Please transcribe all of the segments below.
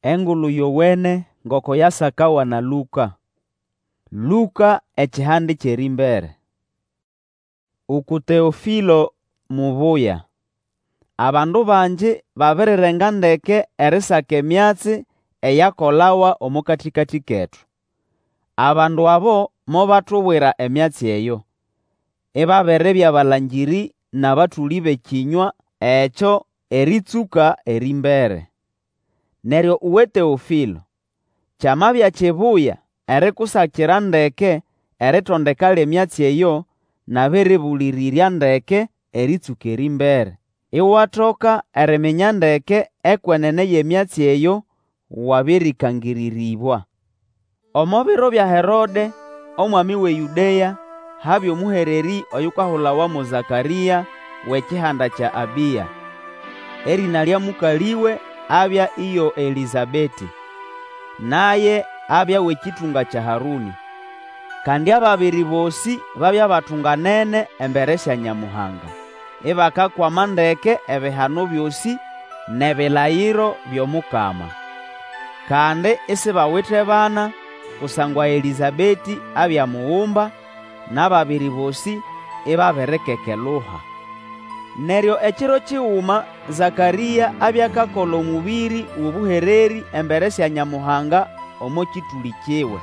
Engulu Yowene ngoko yasakawa na Lũka. Lũka ekihande ky'erĩmbere. Uku Teofĩlo mubuya, Abandu bangi babirirenga ndeke erisaka emyatsi eyakolawa omo katĩkatĩ ketu. Abandu abo mobatubwira emyatsi eyo, ibabiribya balangĩrĩ n'abatũlĩ b'ekĩnywa ekyo erĩtsũka erĩmbere. Neryo uwe Teofĩlo, kyamabya kibuya erikusakira ndeke eritondeka ly'emyatsi eyo, nabĩrĩbũlĩrĩrya ndeke erĩtsũka erĩmbere, iwatoka eriminya ndeke ekwenene y'emyatsi eyo wabĩrĩkangĩrĩrĩbwa. Omo biro bya Herode, omwami w'eYũdea, habya omũhererĩ oyukahulawa mo Zakarĩa w'ekihanda kya Abĩa. Erĩna lya mũkalĩwe abya iyo Elĩsabetĩ, naye abya w'ekĩtũnga kya Harũnĩ. Kandi ababiri bosĩ babya batunganene embere sya Nyamuhanga, ibakakwama ndeke ebihano byosĩ n'ebilayiro by'Omukama. Kandi isibawite bana, kusangwa Elĩsabetĩ abya mugumba, n'ababiri bosĩ ibabirikekeluha. Neryo ekiro kiguma Zakarĩa abya akakola omũbĩrĩ w'obũhererĩ embere sya Nyamuhanga omo kĩtũlĩ kiwe.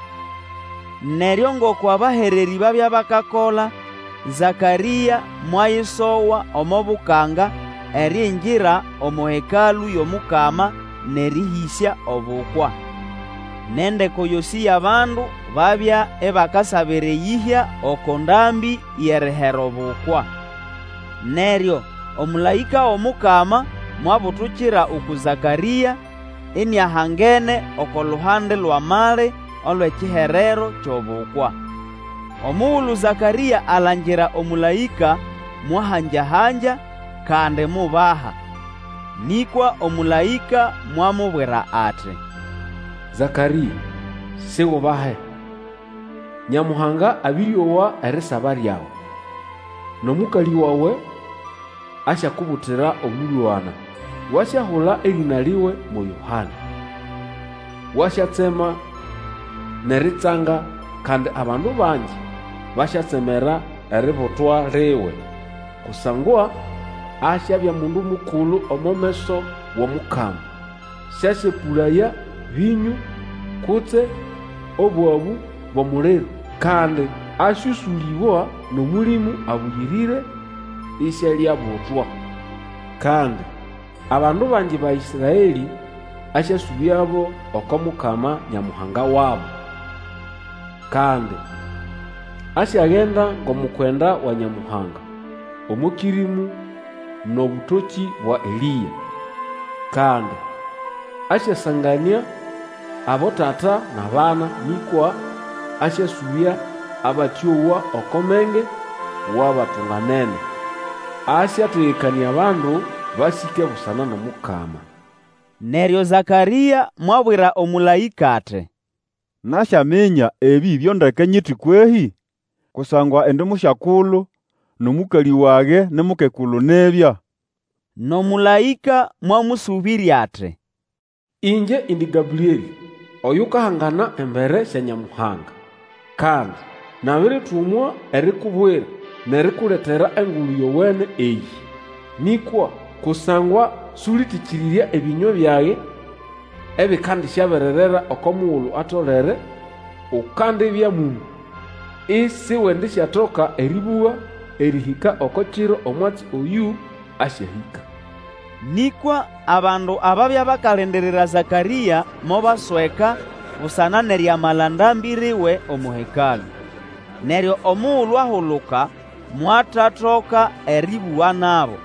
Neryo ngoko abahererĩ babya bakakola, Zakarĩa mwayisowa omo bukanga eriingira omo Hekalũ y'Omukama n'erĩhĩsya obukwa. N'endeko yosĩ y'abandu babya ibakasabira eyĩhya oko ndambĩ y'erihera obukwa. Neryo omũlaĩka w'Omukama mwabutukira uku Zakarĩa, iniahangene oko luhande lw'amali olw'ekiherero ky'obukwa. Omugulu Zakarĩa alangira omũlaĩka, mwahanja-hanja, kandi mubaha. Nĩkwa omũlaĩka mwamubwira ati, Zakarĩa, sigubahe! Nyamuhanga abĩrĩowa erisaba lyawe, n'omũkalĩ wawe asyakubutira omũlwana, wasyahula erĩna liwe mo Yohana. Wasyatsema n'eritsanga, kandi abandu bangi basyatsemera eributwa liwe, kusangwa asyabya mundu mukulu omo meso w'Omukama. Sĩasyepũlaya vĩnyũ kutse obwabu bw'omuliro, kandi asyũsũlĩbwa n'Omũlĩmũ Abũyĩrĩre isialiabutwa. Kandi abandu bangi ba Ĩsraelĩ asyasũbyabo oko Mukama Nyamuhanga wabo. Kandi asyagenda ng'omukwenda wa Nyamuhanga omo kĩrĩmũ n'obũtokĩ bwa Elĩa. Kandi asyasanganĩa abotata n'abana, nĩkwa asyasũbya abatĩowa oko menge w'abatunganene. Asyategekanĩa abandu basĩke busana n'Omukama. Neryo Zakarĩa mwabwira omũlaĩka ati, Nasyaminya ebĩ byo ndeke nyiti kwehĩ? Kusangwa indi musyakulu, n'omũkalĩ wage ni mukekulu nibya. N'omũlaĩka mwamũsũbĩrya ati, Ĩngye indi Gabrĩelĩ, oyukahangana embere sya Nyamuhanga, kandi nabiritumwa erikubwira n'erikuletera Engulu Yowene eyĩ. Nĩkwa kusangwa sũlĩtĩkĩrĩrya ebĩnywa byage ebikandisyabererera oko mugulu atolere, ukandibya mũmũ, isiwendisyatoka erĩbũga erĩhĩka oko kiro omwatsi oyũ asyahĩka. Nĩkwa abandu ababya bakalindirira Zakarĩa mobasweka busana n'eriamala ndambĩ liwe omo Hekalũ. Neryo omugulu ahuluka, mwatatoka erĩbũga nabo.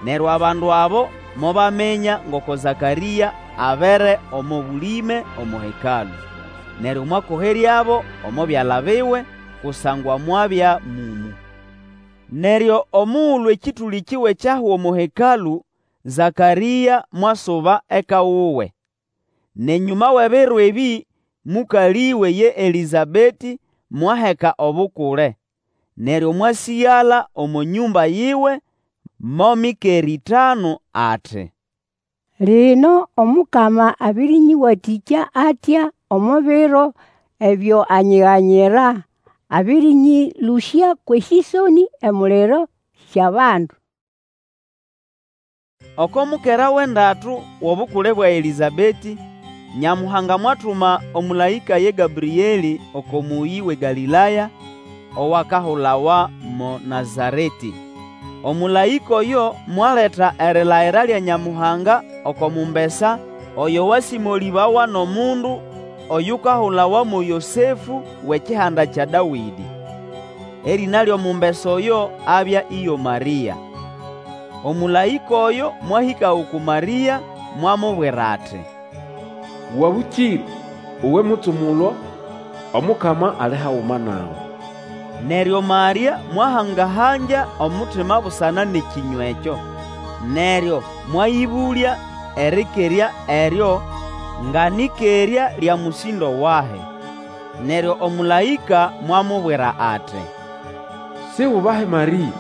Neryo abandu abo mobaminya ngoko Zakarĩa abere omo bũlĩme omo Hekalũ. Neryo mwakoheryabo omo byala biwe, kusangwa mwabya mũmũ. Neryo omugulu ekĩtũlĩ kiwe kyahwa omo Hekalũ, Zakarĩa mwasuba eka wuwe. N'enyũma w'ebiro ebĩ, mũkalĩwe ye Elĩsabetĩ mwaheka obukule, neryo mwasĩgala omo nyũmba yiwe mo mikera ĩtanu ati. Lino Omukama abĩrĩnyĩwatĩkya atya omo biro ebyo anyiganyira, abĩrĩnyĩlũsya kw'esĩsonĩ emuliro sy'abandu. Oko mukera w'endatu w'obukule bwa Elĩsabetĩ, Nyamuhanga mwatuma omũlaĩka ye Gabrĩelĩ oko mũyĩ w'eGalĩlaya owakahulawa mo Nazaretĩ. Omũlaĩka oyo mwaleta erilayira lya Nyamuhanga oko mumbesa oyo wasĩmolĩbawa n'omundu oyukahulawa mo Yosefũ w'ekihanda kya Dawĩdĩ. Erĩna ly'omumbesa oyo abya iyo Marĩa. Omũlaĩka oyo mwahĩka uku Marĩa, mwamubwira ati, Wabũkĩre, uwe mutsumulwa, Omukama ali haguma nawe. Neryo Marĩa mwahanga-hangya omutima busana n'ekĩnywa ekyo, neryo mwayĩbũlya erĩkerya eryo nga nĩkerya lya mũsĩndo wahi. Neryo omũlaĩka mwamubwira ati, Siubahe Marĩa,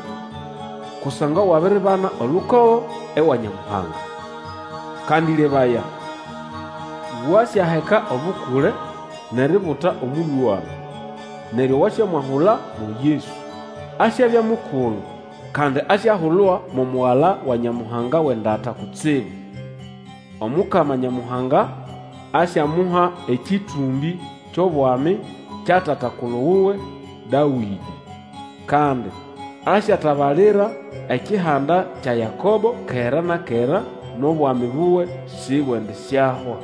kusangwa wabiribana olukogo ewa Nyamuhanga. Kandi lebaya, wasyaheka obukule n'eributa omũlwana, neryo wasyamwahula mo Yesu. Asyabya mukulu, kandi asyahulwa mo Mugala wa Nyamuhanga w'endata kutsibu. Omukama Nyamuhanga asyamuha ekĩtũmbĩ ky'obwami kya tata-kulu wuwe Dawĩdĩ. Kandi asyatabalira ekihanda kya Yakobo kera na kera, n'obwami buwe sibwendisyahwa.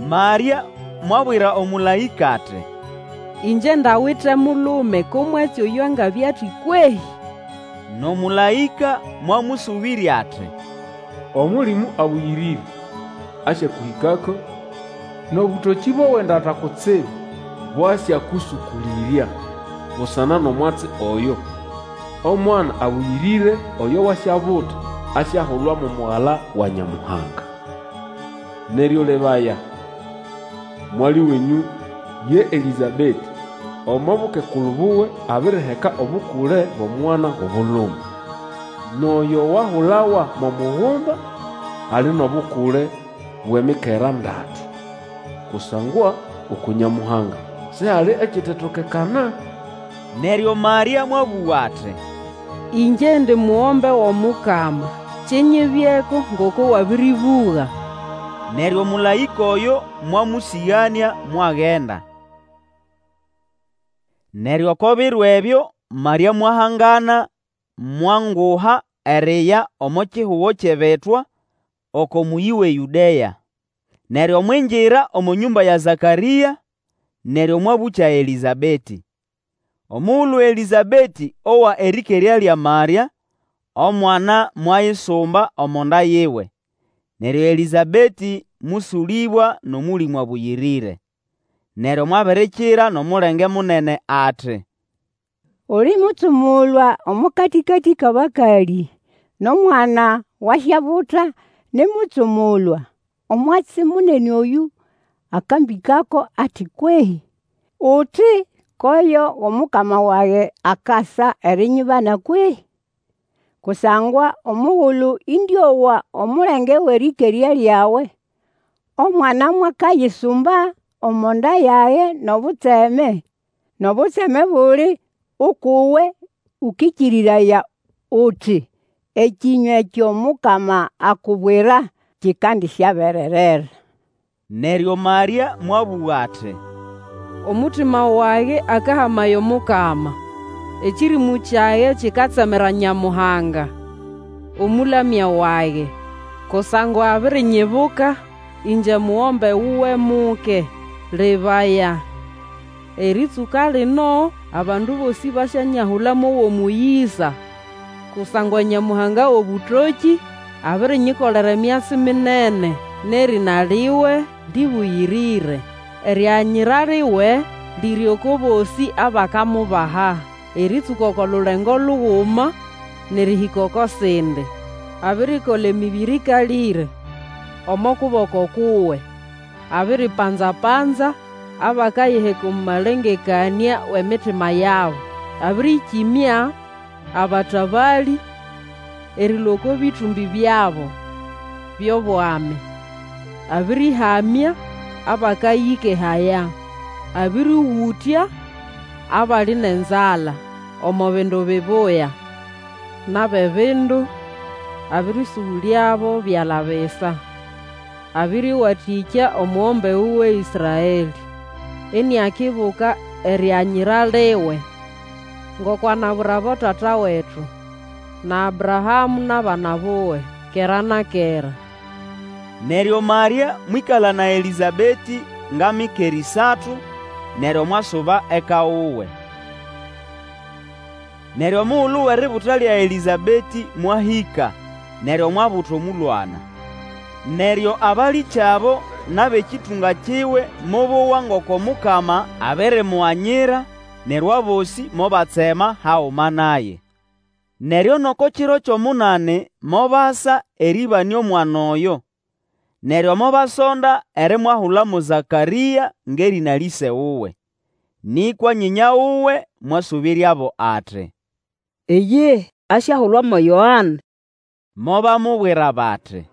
Marĩa mwabwira omũlaĩka ati, Ĩngye ndawite mulume ko mwatsi oyo angabya ati kwehĩ? N'omũlaĩka mwamũsũbĩrya ati, Omũlĩmũ Abũyĩrĩre asyakũhĩkako, n'obũtokĩ bw'Owendata Kutsibu bwasyakũsũkũlĩrya. Busana n'omwatsi oyo, omwana abũyĩrĩre oyo wasyabuta asyahulwa mo Mugala wa Nyamuhanga. Neryo lebaya, mwali wenyũ ye Elĩsabetĩ omo bukekulu buwe abiriheka obukule bw'omwana w'obulume. N'oyo wahulawa mo mugumba ali n'obukule bw'emikera ndatu. Kusangwa uku Nyamuhanga sihali ekitetokekana. Neryo Marĩa mwabũga ati, Ĩngye ndi mugombe w'omukama, kinyibyeko ngoko wabĩrĩbũga. Neryo omũlaĩka oyo mwamũsĩganĩa mwagenda. Neryo oko biro ebyo Marĩa mwahangana mwanguha eriya omo kihugo ky'ebitwa, oko mũyĩ w'eYũdea. Neryo mwingira omo nyũmba ya Zakarĩa, neryo mwabũkya Elĩsabetĩ. Omugulu Elĩsabetĩ owa erĩkerya lya Marĩa, omwana mwayisumba omo nda yiwe. Neryo Elĩsabetĩ mũsũlĩbwa n'Omũlĩmũ Abũyĩrĩre. Neryo mwabirikira n'omulenge munene ati, Uli mutsumulwa omo katĩkatĩ k'abakalĩ, n'omwana wasyabuta ni mutsumulwa. Omwatsi munene oyũ akambĩkako ati kwehĩ? Uti koyo w'omukama wage akasa erinyibana kwehĩ? Kusangwa omugulu ĩndĩowa omulenge w'erĩkerya lyawe, omwana mwakayisumba omo nda yage n'obutseme. N'obutseme buli uk'uwe ũkĩkĩrĩraya uti ekĩnywa ekyo Mukama akubwira kikandisyabererera. Neryo Marĩa mwabũga ati, Omutima wage akahamaya Omukama, Ekĩrĩmũ kyage kikatsemera Nyamuhanga, Omũlamya wage. Kusangwa abirinyibuka, ĩngye mugombe wuwe muke. Lebaya, erĩtsũka lino abandu bosĩ basyanyahula mo w'omũyĩsa, Kusangwa Nyamuhanga w'obũtokĩ abirinyikolera emyatsi minene, N'erĩna liwe lĩbũyĩrĩre. Erianyira liwe liri oko bosĩ abakamubaha, Erĩtsũka oko lulengo luguma n'erĩhĩka oko sindi. Abirikola emĩbĩrĩ ĩkalĩre omo kuboko kuwe, Abiripanza-panza abakayiheka omo malengekanĩa w'emitima yabo. Abĩrĩkĩmya abatabalĩ erĩlũa oko bĩtũmbĩ byabo, by'obwami, Abĩrĩhamya abakayĩkehaya, Abĩrĩũgũtya abali n'enzala omo bindu bibuya, N'ab'ebindu abĩrĩsũbũlyabo byala bisa. Abĩrĩwatĩkya omugombe wuwe Ĩsraelĩ, Iniakibuka erianyira liwe, Ngoko anabwira abotata wetu, Na Abrahamũ n'abana buwe kera na kera. Neryo Marĩa mwĩkala na Elĩsabetĩ nga mikera ĩsatu, neryo mwasuba eka wuwe. Neryo omugulu w'eributa lya Elĩsabetĩ mwahĩka, neryo mwabuta omũlwana. Neryo abalĩkyabo n'ab'ekĩtũnga kiwe mobowa ngoko Mukama abirimuganyira, neryo abosĩ mobatsema haguma naye. Neryo n'oko kiro ky'omunani mobasa erĩbanĩa omwana oyo, neryo mobasonda erimwahula mo Zakarĩa ng'erĩna l'ĩse wuwe. Nĩkwa nyĩnya wuwe mwasũbĩryabo ati, Iyihi, asyahulwa mo Yoane. Mobamubwira bati,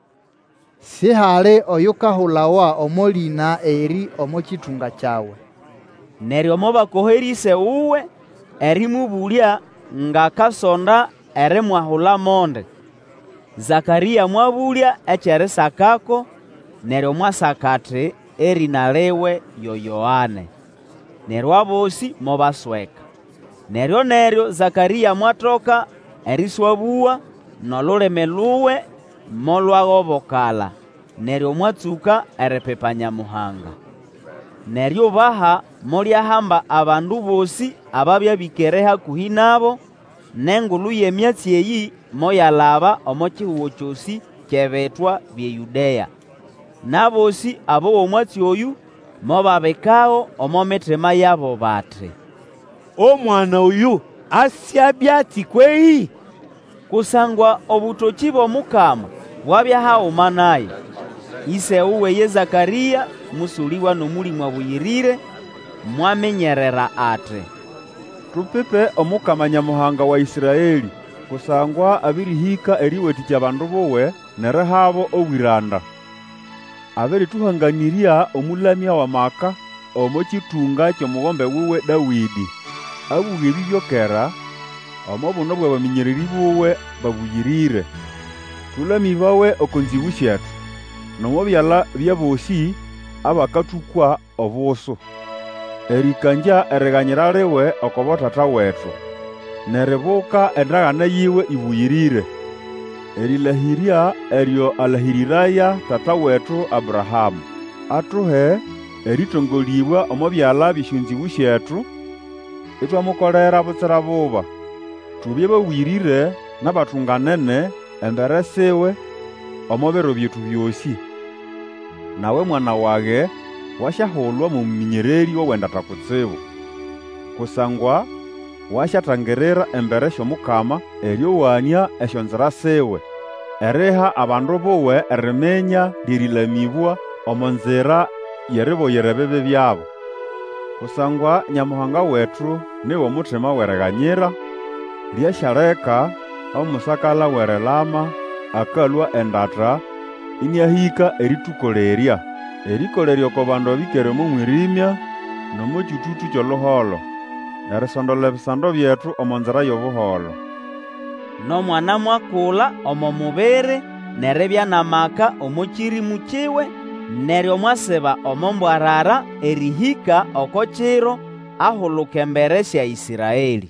Sihali oyukahulawa omo lĩna erĩ omo kĩtũnga kyawe. Neryo mobakoherya ĩse wuwe erĩmũbũlya ng'akasonda erimwahula mondi. Zakarĩa mwabũlya eky'erisakako, neryo mwasaka ati, Erĩna liwe yo Yoane. Neryo abosĩ mobasweka. Neryo-neryo Zakarĩa mwatoka erĩswabũga, n'olulimi luwe molwagobokala, neryo mwatsũka eripipa Nyamuhanga. N'eriubaha molyahamba abandu bosĩ ababya bĩkere hakũhĩ nabo, n'engulu y'emyatsi eyĩ moyalaba omo kihugo kyosĩ ky'ebitwa by'eYũdea. N'abosĩ abowa omwatsi oyũ mobabikago omo mitima yabo bati, Omwana oyũ asyabya ati kwehĩ? Kusangwa obũtokĩ bw'Omukama bwabya haguma naye. Ĩse wuwe ye Zakarĩa mũsũlĩbwa n'Omũlĩmũ Abũyĩrĩre, mwaminyerera ati, Tupipe Omukama Nyamuhanga wa Ĩsraelĩ, Kusangwa abĩrĩhĩka erĩwatĩkya abandu buwe n'erihabo obwĩranda. Abĩrĩtũhanganĩrya Omũlamya w'amaka omo kĩtũnga ky'omugombe wuwe Dawĩdĩ. Abũga ebĩ byo kera, omo buno bw'abamĩnyererĩ buwe babũyĩrĩre. Tũlamĩbawe oko nzĩgũ syetu, N'omo byala by'abosĩ abakatũkwa obusu. Erĩkangya eriganyira liwe oko botata wetu, N'eribuka endagane yiwe ĩbũyĩrĩre, Erĩlahĩrya eryo alahĩrĩraya tata wetu Abrahamũ. Atuhe erĩtongolĩbwa omo byala by'esyonzĩgũ syetu, Itwamukolera butsira buba. Tubye babũyĩrĩre n'abatunganene embere siwe omo biro byetu byosĩ. Nawe mwana wage, wasyahulwa mo mũmĩnyererĩ w'owendata kutsibu, kusangwa wasyatangirira embere sy'Omukama erĩowanĩa esyonzira siwe, eriha abandu buwe eriminya ly'erĩlamĩbwa omo nzira y'eriboyera ebibi byabo. Kusangwa Nyamuhanga wetu ni w'omutima w'eriganyira, lyasyaleka omusakala w'erilama akalũa endata ĩnĩahĩka erĩtũkolerya, erĩkolerya oko bandu abĩkere omo mwĩrĩmya n'omo kyũtũtũ ky'oluholo, erisondola ebisando byetu omo nzira y'obuholo. N'omwana mwakula omo mubiri n'eribya n'amaka omo kĩrĩmũ kiwe, neryo mwasiba omo mbwarara erĩhĩka oko kiro ahuluka embere sya Ĩsraelĩ.